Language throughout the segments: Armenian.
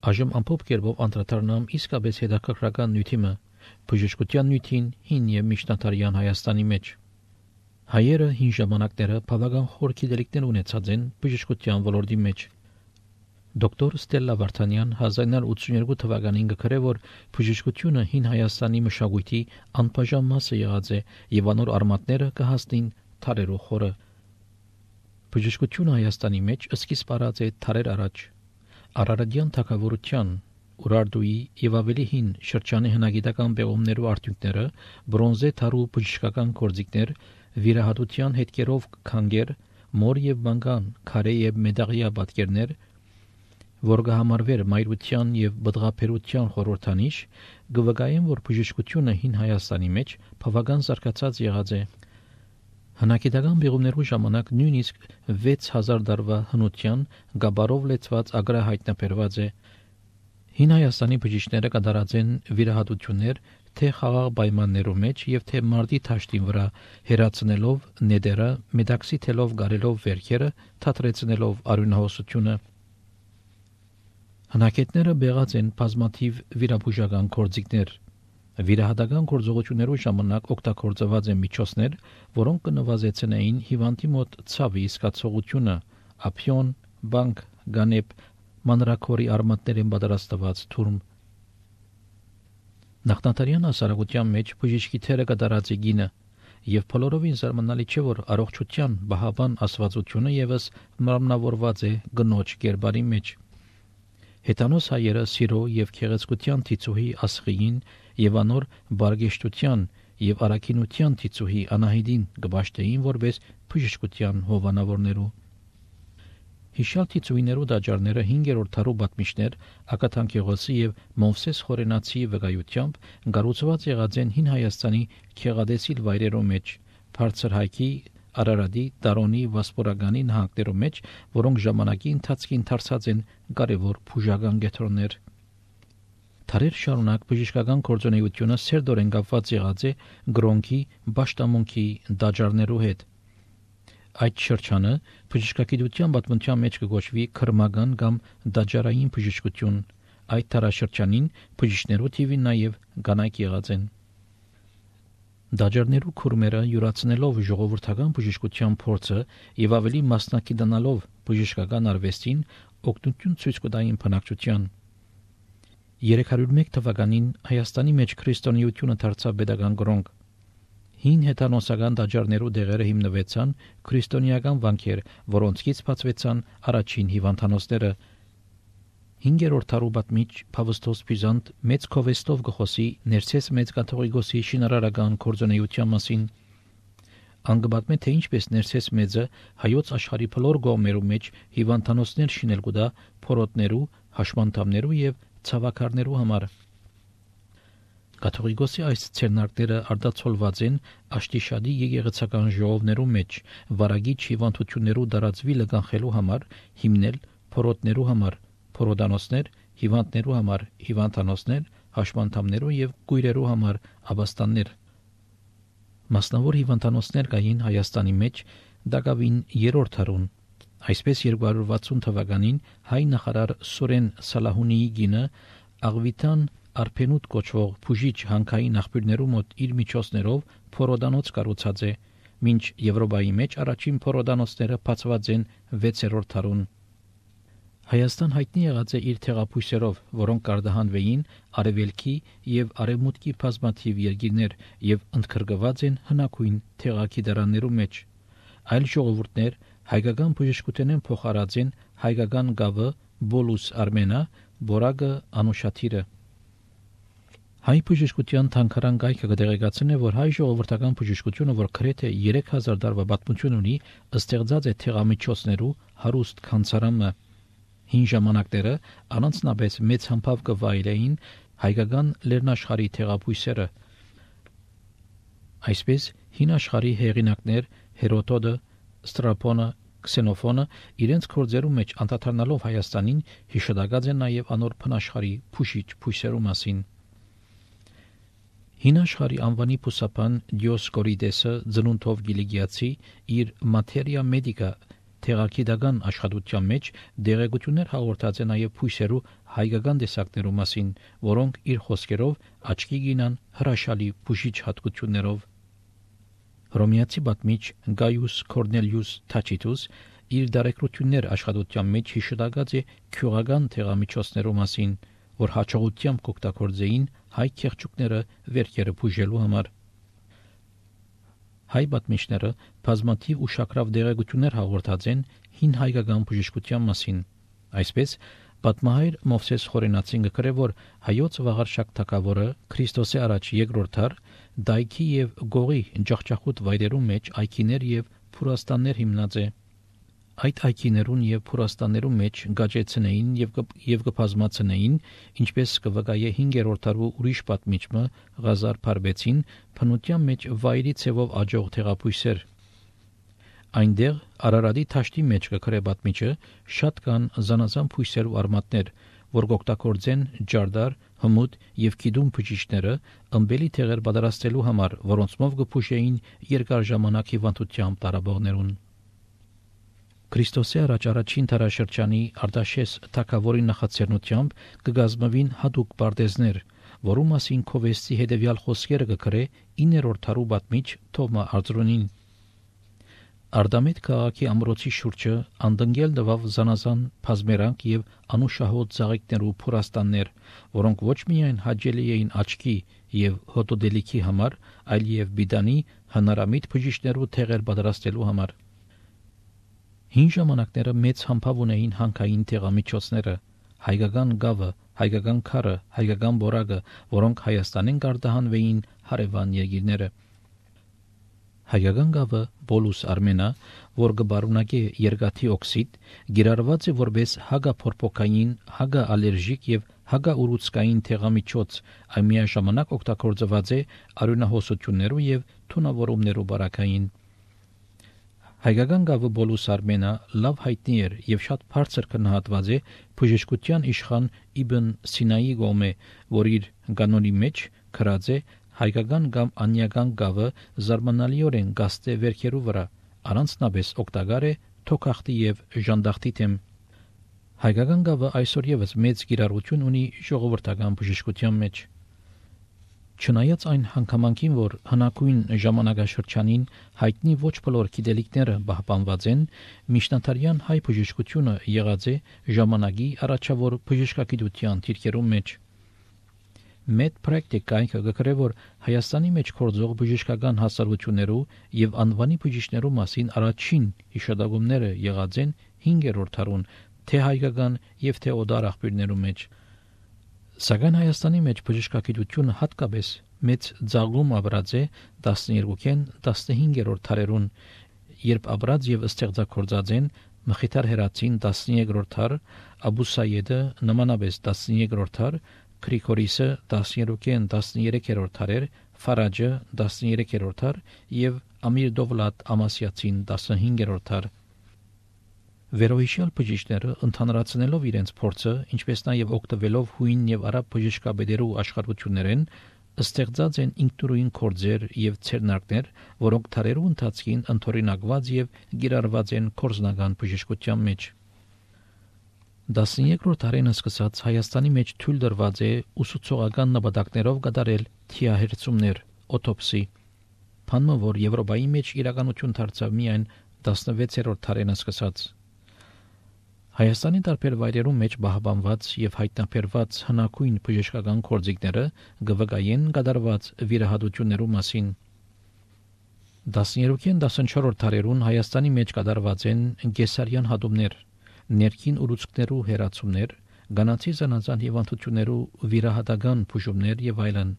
Այժմ ամփոփ կերպով անդրադառնամ իսկապես հետաքրքրական նյութիմը բժշկության նյութին հին եւ միջնադարյան Հայաստանի մեջ։ Հայերը հին ժամանակները բավական խոր գիտելիքներ ունեցած են բժշկության ոլորտի մեջ։ Դոկտոր Ստելլա Վարդանյան 1982 թվականին գրել է, որ բժշկությունը հին Հայաստանի մշակույթի անբաժան մասը եղած է եւ անոր արմատները կհասնին թարերու խորը։ Բժշկությունը Հայաստանի մեջ սկիզբ առած է թարեր առաջ։ Արարատյան թագավորության Ուրարտուի եւ ավելի հին շրջանի հնագիտական պեղումներու արդյունքները բրոնզե թարու բժշկական գործիքներ, վիրահատության հետքերով քանգեր, մոր եւ մանգան, քարե եւ մեդաղյա պատկերներ, որ կհամարվեր մայրության եւ բդղափերության խորհրդանիշ, կվկայեն, որ բժշկությունը հին Հայաստանի մեջ բավական զարգացած եղած է։ Հնագիտական պեղումներու ժամանակ նույնիսկ 6000 տարվա հնության գաբարով լեցված ագրա հայտնաբերված է։ Հին Հայաստանի բժիշկները կատարած են վիրահատություններ թե խաղաղ պայմաններու մեջ եւ թե մարտի թաշտին վրա, հերացնելով նեդերը, մեդաքսի թելով գարելով վերքերը, թատրեցնելով արյունահոսությունը։ Հնագետները բեղած են բազմաթիվ վիրաբուժական գործիքներ։ Վիրահատական գործողություններու ժամանակ օգտագործված են միջոցներ, որոնք կնվազեցնեին հիվանդի մոտ ցավի զգացողությունը, ափիոն, բանկ, գանեպ, մանրակորի արմատներեն պատրաստված թուրմ։ Նախնադարյան հասարակության մեջ բժիշկի թերը կատարած է գինը, եւ բոլորովին զարմանալի չէ, որ առողջության բահաբան աստվածությունը եւս մարմնավորված է գնոջ կերպարի մեջ։ Հետանոս հայերը սիրո եւ քեղեցկության թիծուհի Ասղիին եւ անոր բարգեշտության եւ արաքինության թիծուհի Անահիդին կբաշտեին որպես բժշկության հովանավորներու։ Հիշյալ թիծուհիներու դաջարները 5-րդ դարու պատմիչներ Ակաթանկեղոսի եւ Մովսես Խորենացի վկայությամբ կառուցված եղած են հին Հայաստանի քեղադեսիլ վայրերու մեջ, բարձր հայքի, Արարատի, Տարոնի, Վասպորագանի նահանգներու մեջ, որոնք ժամանակի ընթացքին դարձած են կարևոր բուժական կետրոններ։ Թարեր շարունակ բժշկական գործունեությունը սերտորեն կապված եղած է գրոնքի, պաշտամունքի դաջարներու հետ։ Այդ շրջանը բժշկագիտության պատմության մեջ կգոչվի քրմական կամ դաջարային բժշկություն։ Այդ տարաշրջանին բժիշկներու թիվին նաև կանայք եղած են։ Դաջարներու քուրմերը յուրացնելով ժողովրդական բժշկության փորձը եւ ավելի մասնակցանալով բժշկական արվեստին օգնություն ցույց կտային բնակչության։ 301 թվականին Հայաստանի մեջ քրիստոնեությունը դարձավ պետական գրոնք։ Հին հետանոսական դաջարներու դեղերը հիմնվեցան քրիստոնեական վանքեր, որոնցից բացվեցան առաջին հիվանդանոցները։ 5-րդ դարու պատմիչ Փավստոս Բյուզանտ մեծ քովեստով գխոսի ներսես մեծ կաթողիկոսի շինարարական գործունեության մասին։ Անգբատմե թե ինչպես ներսես մեծը հայոց աշխարհի բոլոր կողմերու մեջ հիվանդանոցներ շինել կուտա փորոտներու, հաշմանդամներու եւ ցավակարներու համար։ Կաթողիկոսի այս ցերնակները արտացոլված են Աշտիշադի եկեղեցական ժողովներու մեջ, վարագիչ հիվանդություններու դարածվիլը կանխելու համար հիմնել փորոտներու համար, փորոդանոցներ, հիվանդներու համար, հիվանդանոցներ, հաշմանդամներու եւ գույրերու համար աբաստաններ։ Մասնավոր հիվանդանոցներ կային Հայաստանի մեջ դակավին 3-րդ դարուն։ Այսպես 260 թվականին հայ նախարար Սուրեն Սալահունիի գինը Աղվիտան Արփենուտ կոչվող բուժիչ հանքային աղբյուրներու մոտ իր միջոցներով փորոդանոց կառուցած է, մինչ Եվրոպայի մեջ առաջին փորոդանոցները բացված են 6-րդ դարուն։ Հայաստան հայտնի եղած է իր թեղափույսերով, որոնք կարգահանվեին արևելքի եւ արևմուտքի բազմաթիվ երկիրներ եւ ընդգրկված են հնագույն թեղագիտարաններու մեջ։ Այլ ժողովուրդներ հայկական բժշկութենեն փոխարած են հայկական գավը, բոլուս արմենա, բորագը, անուշաթիրը։ Հայ բժշկության թանկարան գայքը կդեղեկացնե, որ հայ ժողովրդական բժշկությունը, որ գրեթե 3000 տարվա պատմություն ունի, ստեղծած է թեղամիջոցներու հարուստ քանցարամը։ Հին ժամանակները առանձնապես մեծ համբավ կվայելեին հայկական լեռնաշխարհի թեղափույսերը։ Այսպես հին աշխարհի հեղինակներ Հերոդոտը, Ստրաբոնը, Քսենոֆոնը իրենց գործերու մեջ անդրադառնալով Հայաստանին հիշատակած են նաև անոր փնաշխարհի փուշիչ փույսերու մասին։ Հին աշխարհի անվանի փուսապան Դիոսկորիդեսը ծնունդով գիլիգիացի իր Materia Medica Թեղակիդական աշխատության մեջ դեղեցություններ հաղորդած է նաև փույսերու հայկական տեսակներու մասին, որոնք իր խոսքերով աչքի գինան հրաշալի բուժիչ հատկություններով։ Հռոմեացի պատմիչ Գայուս Կորնելիուս Թաչիտուս իր դարեկրություններ աշխատության մեջ հիշատակած է քյուրական թեղամիջոցներու մասին, որ հաջողությամբ կօգտագործեին հայ քեղճուկները վերքերը բուժելու համար։ Հայ պատմիչները բազմաթիվ ուշագրավ դեղեցություններ հաղորդած են հին հայկական բժշկության մասին։ Այսպես պատմահայր Մովսես Խորենացին գրել, որ հայոց վաղարշակ թագավորը Քրիստոսի առաջ երկրորդ դար դայքի եւ գողի ջախջախուտ վայրերու մեջ այգիներ եւ փուրաստաններ հիմնած է։ Այդ այգիներուն եւ փուրաստաններու մեջ գաճեցնեին եւ կբազմացնեին, ինչպես կվկայե 5-րդ դարու ուրիշ պատմիչը Ղազար Փարբեցին, փնության մեջ վայրի ցևով աջող թեղապույսեր։ Այնտեղ Արարատի թաշտի մեջ կգրե պատմիչը շատ կան զանազան փույսեր ու արմատներ, որ կօգտագործեն ջարդար, հմուտ եւ գիդում բջիջները ըմբելի թեղեր պատրաստելու համար, որոնցմով կփուշեին երկար ժամանակ հիվանդությամբ տարաբողներուն։ Քրիստոսի առաջ առաջին դարաշրջանի Արտաշես թագավորի նախաձեռնությամբ կգազմվին հատուկ պարտեզներ, որու մասին Քովեսի հետևյալ խոսքերը կգրե 9-րդ դարու պատմիչ Թովմա Արձրոնին։ Արդամետ քաղաքի ամրոցի շուրջը անդնգել տվավ զանազան բազմերանք եւ անուշահոտ ծաղիկներու փուրաստաններ, որոնք ոչ միայն հաճելի էին աչքի եւ հոտոդելիքի համար, այլ եւ բիդանի հնարամիտ բժիշկներու թեղեր պատրաստելու համար։ Հին ժամանակները մեծ համբավ ունեին հանքային թեղամիջոցները, հայկական գավը, հայկական քարը, հայկական բորակը, որոնք Հայաստանին կարտահանվեին հարևան երկիրները։ Հայկական գավը բոլուս արմենա, որ կբարունակե երկաթի օքսիդ, գիրառված է որպես հագափորփոքային, հագաալերժիկ եւ հագաուռուցքային թեղամիջոց, այն միաժամանակ օգտագործված է արյունահոսություններու եւ թունավորումներու բարակային։ Հայկական գավը բոլուս արմենա լավ հայտնի էր եւ շատ բարձր գնահատված է բժշկության իշխան Իբն Սինայի գոմե, որ իր կանոնի մեջ գրած է հայկական կամ անյական գավը զարմանալիորեն գաստե վերքերու վրա, առանձնապես օգտակար է թոքախտի եւ ժանդախտի թեմ։ Հայկական գավը այսօր եւս մեծ կիրառություն ունի ժողովրդական բժշկության մեջ։ Չնայած այն հանգամանքին, որ հնագույն ժամանակաշրջանին հայտնի ոչ բոլոր գիտելիքները պահպանված են, միջնադարյան հայ բժշկությունը եղած է ժամանակի առաջավոր բժշկագիտության դիրքերում մեջ։ Մեծ պրակտիկայինը գկրե, որ Հայաստանի մեջ գործող բժշկական հասարակություններու եւ անվանի բժիշկներու մասին առաջին հիշատակումները եղած են 5-րդ դարուն, թե հայկական եւ թե օդար աղբյուրներու մեջ։ Սակայն Հայաստանի մեջ բժշկագիտությունը հատկապես մեծ ձաղում ապրած է 12-ին 15-րդ դարերուն, երբ ապրած եւ ստեղծագործած են Մխիթար Հերացին 13-րդ դար, Աբու Սայեդը նմանապես 13-րդ դար, Գրիգորիսը 12-ին 13-րդ դարեր, Ֆարաջը 13-րդ դար եւ Ամիր Դովլատ Ամասիացին 15-րդ դար։ Վերոհիշյալ բժիշկները ընդհանրացնելով իրենց փորձը, ինչպես նաև օգտվելով հույն եւ արաբ բժշկաբեդերու աշխարհություններեն, ստեղծած են ինքնուրույն կորձեր եւ ցերնակներ, որոնք թարերու ընթացքին ընդօրինակված եւ գիրառված են կորզնական բժշկության մեջ։ 13-րդ դարին սկսած Հայաստանի մեջ թույլ դրված է ուսուցողական նպատակներով կատարել թիահերցումներ, օտոպսի։ Փանմը, որ Եվրոպայի մեջ իրականություն դարձավ միայն 16-րդ դարին սկսած։ Հայաստանի տարբեր վայրերում մեջ պահպանված եւ հայտնաբերված հնագույն բժշկական գործիքները գվկայեն կատարված վիրահատություններու մասին։ 13-ին 14-րդ դարերուն Հայաստանի մեջ կատարված են գեսարյան հատումներ, ներքին ուռուցքներու հերացումներ, գանացի զանազան հիվանդություններու վիրահատական բուժումներ եւ այլն։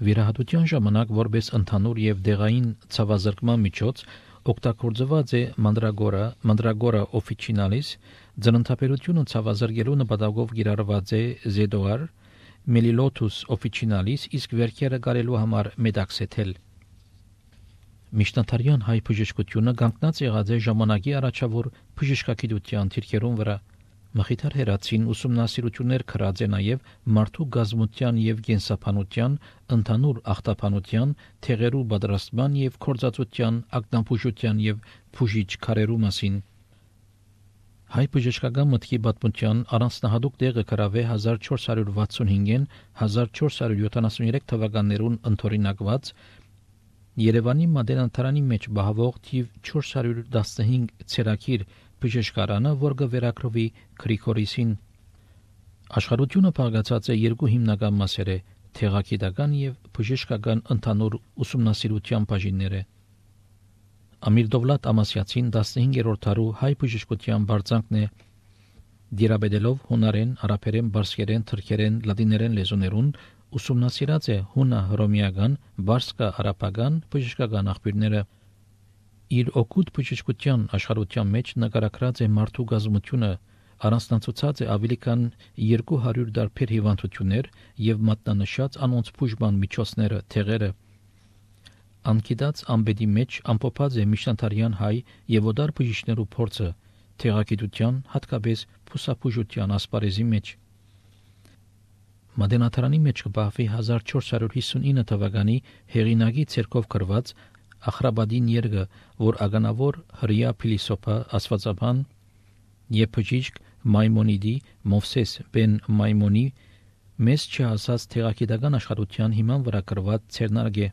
Վիրահատության ժամանակ որպես ընդհանուր եւ դեղային ցավազրկման միջոց օգտագործված է Mandragora officinalis, ձնընթապերությունը ցավազրկելու նպատակով կիրառված է Zedor, Melilotus officinalis, իսկ վերքերը կարելու համար Medaxetel։ Միջնադարյան հայ բժշկությունը կանգնած եղած է ժամանակի առաջավոր բժշկագիտության դիրքերուն վրա։ Մխիթար Հերացին ուսումնասիրություններ կրած է նաև մարդու գազմության եւ գենսապանության, ընդհանուր ախտապանության, թեղերու պատրաստման եւ կորզածության, ակնաբուժության եւ բուժիչ քարերու մասին։ Հայ բժշկական մտքի պատմության առանձնահատուկ տեղը կրավ է 1465-ին 1473 թվականներուն ընդօրինակված Երևանի Մատենադարանի մեջ բահվող թիվ 415 ցերակիր բժշկարանը, որ կվերակրվի Գրիգորիսին։ Աշխարհությունը բաղկացած է երկու հիմնական մասեր՝ թեղագիտական եւ բժշկական ընդհանուր ուսումնասիրության բաժիններ։ Ամիր Դովլատ Ամասյացին 15-րդ դարու հայ բժշկության բարձանքն է դիրաբեդելով հունարեն, արաբերեն, բարսկերեն, թուրքերեն, լատիներեն լեզուներուն ուսումնասիրած է հունա-հռոմեական, բարսկա-արաբական բժշկական աղբյուրները։ Իր օգուտ բժշկության աշխարհության մեջ նկարագրած է մարդու գազմությունը, առանձնացուցած է ավելի քան 200 դարբեր հիվանդություններ եւ մատնանշած անոնց բուժման միջոցները, թեղերը։ Անկիդած ամբեդի մեջ ամփոփած է միջնադարյան հայ եւ օդար բժիշկներու փորձը թեղագիտության, հատկապես փուսաբուժության ասպարեզի մեջ։ Մատենադարանի մեջ կբահվի 1459 թվականի հեղինակի ցերկով գրված Ախրաբադին երգը, որ ագանավոր հրյա փիլիսոփա աստվածաբան եւ բժիշկ Մայմոնիդի Մովսես բեն Մայմոնի մեծ չհասած թեղագիտական աշխարհության հիման վրա գրված ցերնարգ է,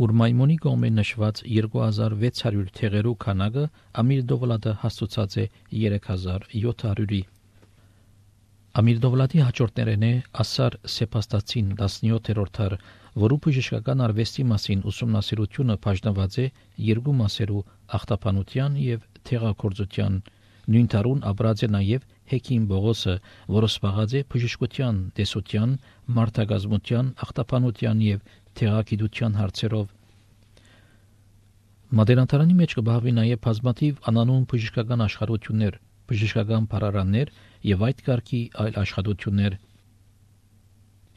ուր Մայմոնի կողմէ նշված 2600 թեղերու քանակը Ամիր Դովլատը հաստուցած է 3700-ի։ Ամիր Դովլատի հաջորդներն է Ասար Սեպաստացին 17-րդ դար, որու բժշկական արվեստի մասին ուսումնասիրությունը բաժնված է երկու մասերու՝ ախտապանության եւ թեղագործության։ Նույն տարուն ապրած է նաև Հեքիմ Բողոսը, որը զբաղած է բժշկության, տեսության, մարդագազմության, ախտապանության եւ թեղագիտության հարցերով։ Մատենադարանի մեջ կբահվի նաև բազմաթիվ անանուն բժշկական աշխարհություններ, բժշկական բարարաններ եւ այդ կարգի այլ աշխատություններ։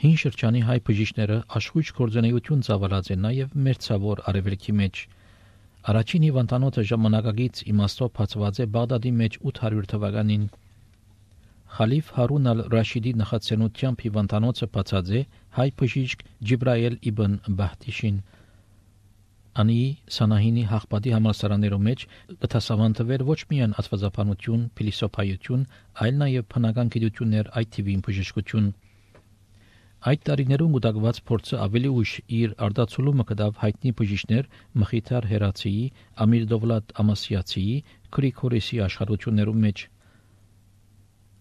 Հին շրջանի հայ բժիշկները աշխույժ գործունեություն ծավալած են նաև մերձավոր արևելքի մեջ։ Առաջին հիվանդանոցը ժամանակակից իմաստով բացված է Բաղդադի մեջ 800 թվականին։ Խալիֆ Հարուն ալ-Ռաշիդի նախաձեռնությամբ հիվանդանոցը բացած է հայ բժիշկ Ջիբրայել իբն Բահտիշին։ Անի Սանահինի հաղպատի համալսարաններում մեջ կտասավանդվեր ոչ միայն աստվածաբանություն, փիլիսոփայություն, այլ նաև բնական գիտություններ, այդ թիվին բժշկություն։ Այդ տարիներում ուտակված փորձը ավելի ուշ իր արտացոլումը կդավ հայտնի բժիշկներ Մխիթար Հերացիի, Ամիր Դովլատ Ամասյացիի, Գրիգորիսի աշխարհություններում մեջ։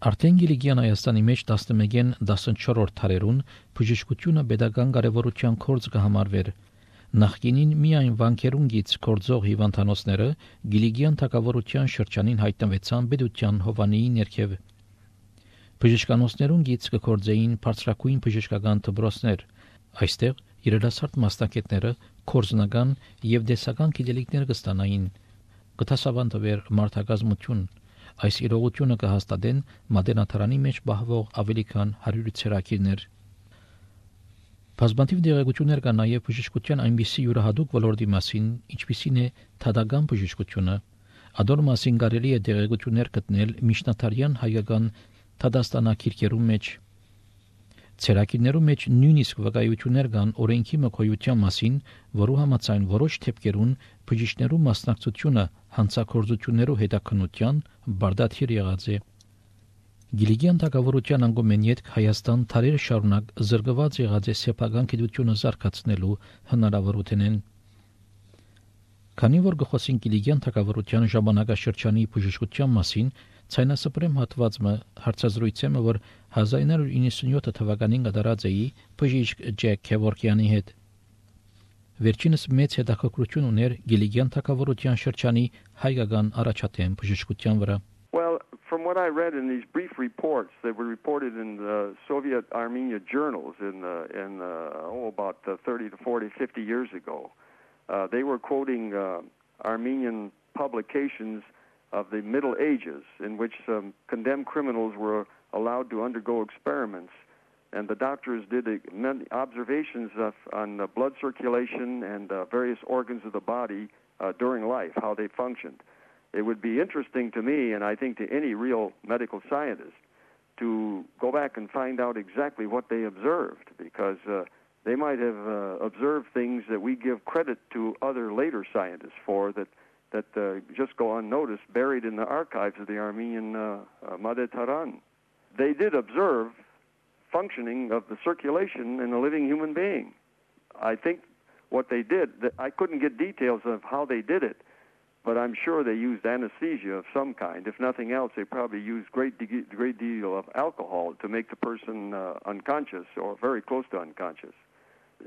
Արդեն Գիլիգյան Հայաստանի մեջ 11-ին 14-րդ դարերուն բժշկությունը pedagogan կարևորության կորձ կհամարվեր։ Նախկինին միայն վանքերունգից կորձող հիվանդանոցները Գիլիգյան թագավորության շրջանին հայտնվեցան պետության հովանիի ներքև։ Բժշկանոցներուն գից կկործեին բարձրակույն բժշկական դպրոցներ։ Այստեղ երիտասարդ մասնակիցները կորզնական եւ դեսական գիտելիքներ կստանային։ Կտասավանդվեր մարդագազմություն։ Այս իրողությունը կհաստատեն Մատենադարանի մեջ բահվող ավելի քան 100 ցերակիրներ։ Բազմաթիվ դեղեցություններ կան նաև բժշկության այնպիսի յուրահատուկ ոլորտի մասին, ինչպիսին է թադական բժշկությունը։ Ադոր մասին կարելի է դեղեցություններ գտնել միջնադարյան հայկական թադաստանակիրքերու մեջ։ Ցերակիրներու մեջ նույնիսկ վկայություններ կան օրենքի մկոյության մասին, որու համաձայն որոշ դեպքերուն բժիշկներու մասնակցությունը հանցագործություններու հետաքննության բարդաթիր եղած է։ Գիլիգյան թագավորության անգամեն յետք Հայաստան թարեր շարունակ զրկված եղած է սեփական գիտությունը զարգացնելու հնարավորությունեն։ Քանի որ գխոսին Գիլիգյան թագավորության ժամանակաշրջանի բժշկության մասին, ցայնասպրեմ հատվածը հարցազրույցը, որ 1997 թվականին կատարած էի բժիշկ Ջեք Քևորքյանի հետ։ Վերջինս մեծ հետաքրքրություն ուներ Գիլիգյան թագավորության շրջանի հայկական առաջադեմ բժշկության վրա։ From what I read in these brief reports that were reported in the Soviet Armenia journals about 30 to 40, 50 years ago, they were quoting Armenian publications of the Middle Ages in which condemned criminals were allowed to undergo experiments. And the doctors did many observations on blood circulation and various organs of the body during life, how they functioned. It would be interesting to me, and I think to any real medical scientist, to go back and find out exactly what they observed, because they might have observed things that we give credit to other later scientists for that just go unnoticed, buried in the archives of the Armenian Madeh Taran. They did observe functioning of the circulation in a living human being. I think what they did, I couldn't get details of how they did it, but I'm sure they used anesthesia of some kind. If nothing else, they probably used great deal of alcohol to make the person unconscious or very close to unconscious.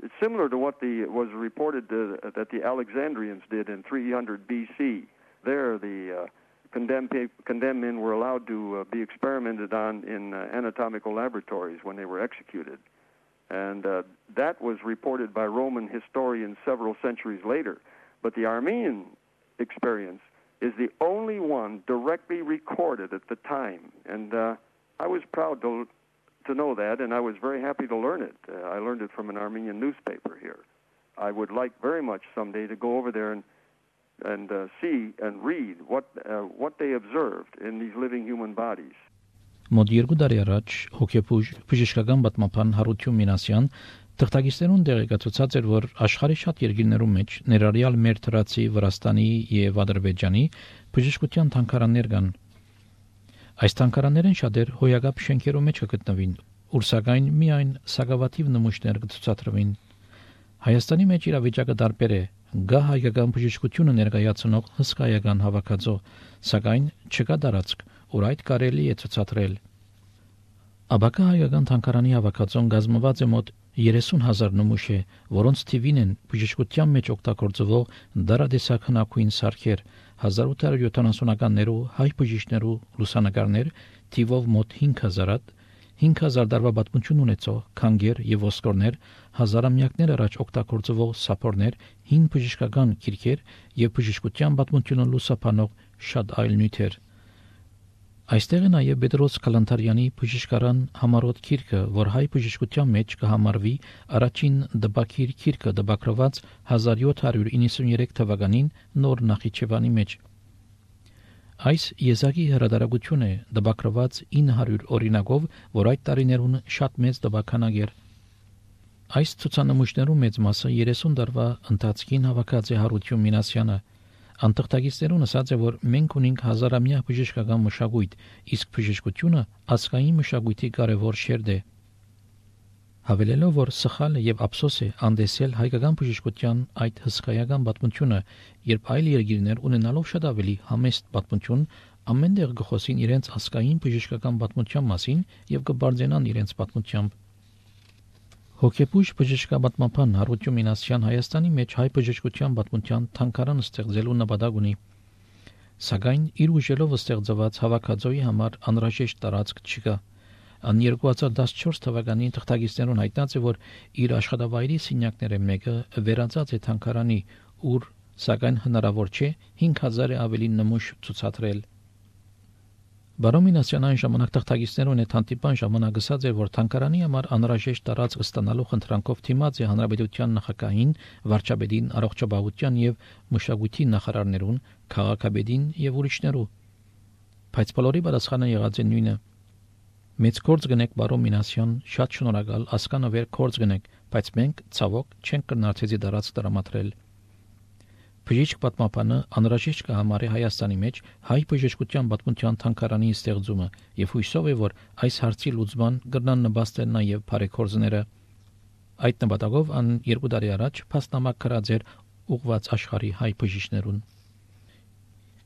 It's similar to what was reported that the Alexandrians did in 300 BC. There, the condemned men were allowed to be experimented on in anatomical laboratories when they were executed. And that was reported by Roman historians several centuries later. But the Armenian experience is the only one directly recorded at the time. And I was proud to know that, and I was very happy to learn it. I learned it from an Armenian newspaper here. I would like very much someday to go over there and see and read what they observed in these living human bodies. Մոտ 2 տարի առաջ բժշկական պատմաբան Հարություն Մինասյան թղթակիցներուն տեղեկացուցած էր, որ աշխարհի շատ երկրներում մեջ ներառյալ մեր թրացի, Վրաստանի եւ Ադրբեջանի բժշկության թանգարաններ կան։ Այս թանգարաններն շատեր հոյակապ շենքերում մեջ կգտնվին, ուր սակայն միայն սակավաթիվ նմուշներ կցուցադրվին։ Հայաստանի մեջ իրավիճակը տարբեր է։ Գա հայկական բժշկությունը ներկայացնող հսկայական հավաքածո, սակայն չկա տարածք, ուր այդ կարելի է ցուցադրել։ Աբակա հայկական թանգարանի հավաքածոն կազմված է մոտ 30,000 նմուշ է, որոնց թիվին են բժշկության մեջ օգտագործվող դարադեսակ հնագույն սարքեր, 1870-ականներու հայ բժիշկներու լուսանկարներ, թիվով մոտ 5,000, 5,000 տարվա պատմություն ունեցող քանգեր եւ ոսկորներ, հազարամյակներ առաջ օգտագործվող սափորներ, 5 բժշկական քիրքեր եւ բժշկության պատմությունը լուսաբանող շատ այլ նյութեր։ Այստեղ է նաև Պետրոս Կալանթարյանի բժշկարան համառոտ քիրքը, որ հայ բժշկության մեջ կհամարվի առաջին դպակիր քիրքը դպակրված 1793 թվականին նոր Նախիջևանի մեջ։ Այս եզակի հրատարակություն է դպակրված 900 օրինակով, որ այդ տարիներուն շատ մեծ դպականակ էր։ Այս ցուցանմուշներու մեծ մասը 30 տարվա ընթացքին հավաքած է Հարություն Մինասյանը։ Անտղտագիստերուն ասած է, որ մենք ունենք հազարամյա բժշկական մշակույթ, իսկ բժշկությունը ազգային մշակույթի կարևոր շերտ է։ Հավելելով, որ սխալ եւ ափսոս է անդեսել հայկական բժշկության այդ հսկայական պատմությունը, երբ այլ երկիրներ ունենալով շատ ավելի համեստ պատմություն, ամենտեղ գխոսին իրենց ազգային բժշկական պատմության մասին եւ կբարձենան իրենց պատմությամբ։ Հոգեբույժ բժշկապատմաբան Հարություն Մինասյան Հայաստանի մեջ հայ բժշկության պատմության թանգարան ստեղծելու նպատակ ունի, սակայն իր ուժերով ստեղծված հավաքածոյի համար անհրաժեշտ տարածք չկա։ Ան 2014 թվականին թղթակիցներուն հայտնած է, որ իր աշխատավայրի սենյակները մեկը վերածած է թանգարանի, ուր սակայն հնարավոր չէ 5,000 ավելի նմուշ ցուցադրել։ Բարոն Մինասյան այն ժամանակ թղթակիցներուն հետ հանդիպան ժամանակ ասաց էր, որ թանգարանի համար անհրաժեշտ տարածք ստանալու խնդրանքով թիմած է հանրապետության նախագահին, վարչապետին, առողջապահության եւ մշակույթի նախարարներուն, քաղաքապետին եւ ուրիշներու։ Բայց բոլորի պատասխանը եղած է նույնը։ Մեծ գործ գնեք, բարոն Մինասյան, շատ շնորհակալ, ասկանավեր գործ գնեք, բայց մենք ցավոք չենք կրնացեցի տարածք տրամադրել։ Բժիշկ պատմաբանը անհրաժեշտ կհամարի Հայաստանի մեջ հայ բժշկության պատմության թանգարանի ստեղծումը եւ հույսով է, որ այս հարցի լուծման կգնան նպաստել նաեւ բարեգործները։ Այդ նպատակով ան 2 տարի առաջ փաստնամակ գրած էր ուղված աշխարհի հայ բժիշկներուն։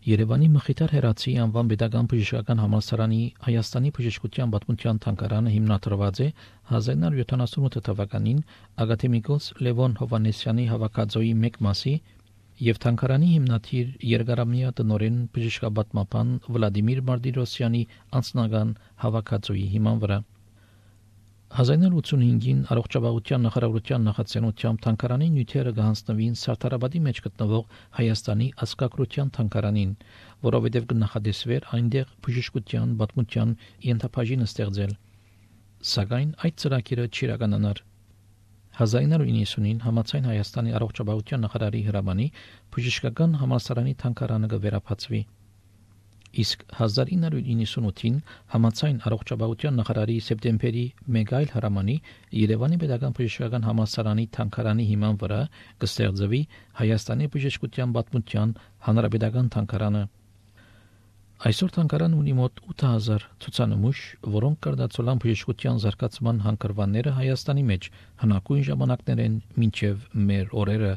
Երևանի Մխիթար Հերացի անվան պետական բժշկական համալսարանի Հայաստանի բժշկության պատմության թանգարանը հիմնադրված է 1978 թվականին ակադեմիկոս Լևոն Հովանեսյանի հավաքածոյի մեկ մասի եւ թանգարանի հիմնադիր երկարամյա տնօրեն բժշկապատմաբան Վլադիմիր Մարտիրոսյանի անձնական հավաքածոյի հիման վրա 1985-ին առողջապահության նախարարության նախաձեռնությամբ թանգարանի նյութերը կհանձնվին Սարդարապետի մեջ գտնվող Հայաստանի ազգագրության թանգարանին, որովհետև կնախադեсվեր այնտեղ բժշկության պատմության ենթաբաժին ստեղծել։ Սակայն այդ ծրագիրը չիրականանար։ 1990-ին համաձայն Հայաստանի առողջապահության նախարարի հրամանի բժշկական համալսարանի թանգարանը կվերապացվի։ Իսկ 1998-ին համաձայն առողջապահության նախարարի սեպտեմբերի մեկ այլ հրամանի Երևանի Պետական Բժշկական համալսարանի թանգարանի հիման վրա կստեղծվի Հայաստանի բժշկության պատմության հանրապետական թանգարանը։ Այսօր թանգարանը ունի մոտ 8000 ցուցանմուշ, որոնք կրդացոլան բժշկության զարգացման հանգրվանները Հայաստանի մեջ հնագույն ժամանակներեն մինչև մեր օրերը։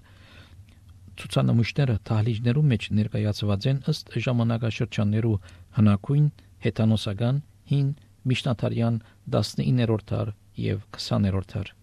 Ցուցանմուշները դահլիճներում մեջ ներկայացված են ըստ ժամանակաշրջաններու հնագույն, հեթանոսական, հին, միջնադարյան, 19-րդ դար եւ 20-րդ դար։